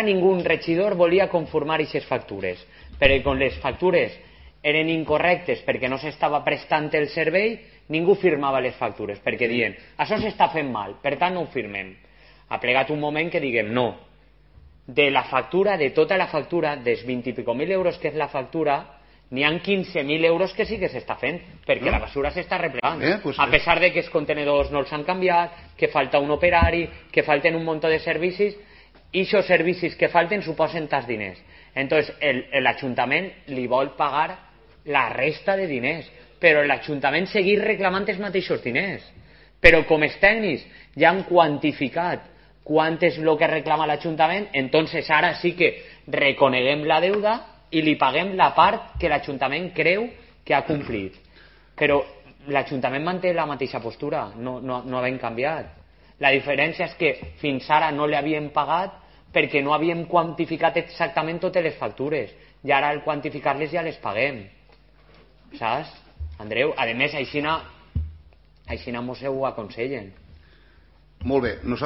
ningú regidor volia conformar aquestes factures, perquè quan les factures eren incorrectes perquè no s'estava prestant el servei, ningú firmava les factures, perquè diuen, això s'està fent mal, per tant no ho firmem. Ha plegat un moment que diguem, no, de la factura, de tota la factura, dels 20 i pico mil euros que és la factura, n'hi ha 15.000 euros que sí que s'està fent, perquè la basura s'està replegant. A pesar de que els contenedors no els han canviat, que falta un operari, que falten un munt de servicis, i aquests servicis que falten suposen tants diners. Entonces l'Ajuntament li vol pagar la resta de diners, però l'Ajuntament segueix reclamant els mateixos diners. Però com els tècnics ja han quantificat quant és el que reclama l'Ajuntament, entonces ara sí que reconeguem la deuda i li paguem la part que l'Ajuntament creu que ha complit. Però l'Ajuntament manté la mateixa postura, no havent canviat. La diferència és que fins ara no li havíem pagat perquè no havíem quantificat exactament totes les factures, i ara al quantificar-les ja les paguem. Saps, Andreu? A més, així mos ho aconsellen. Molt bé, nosaltres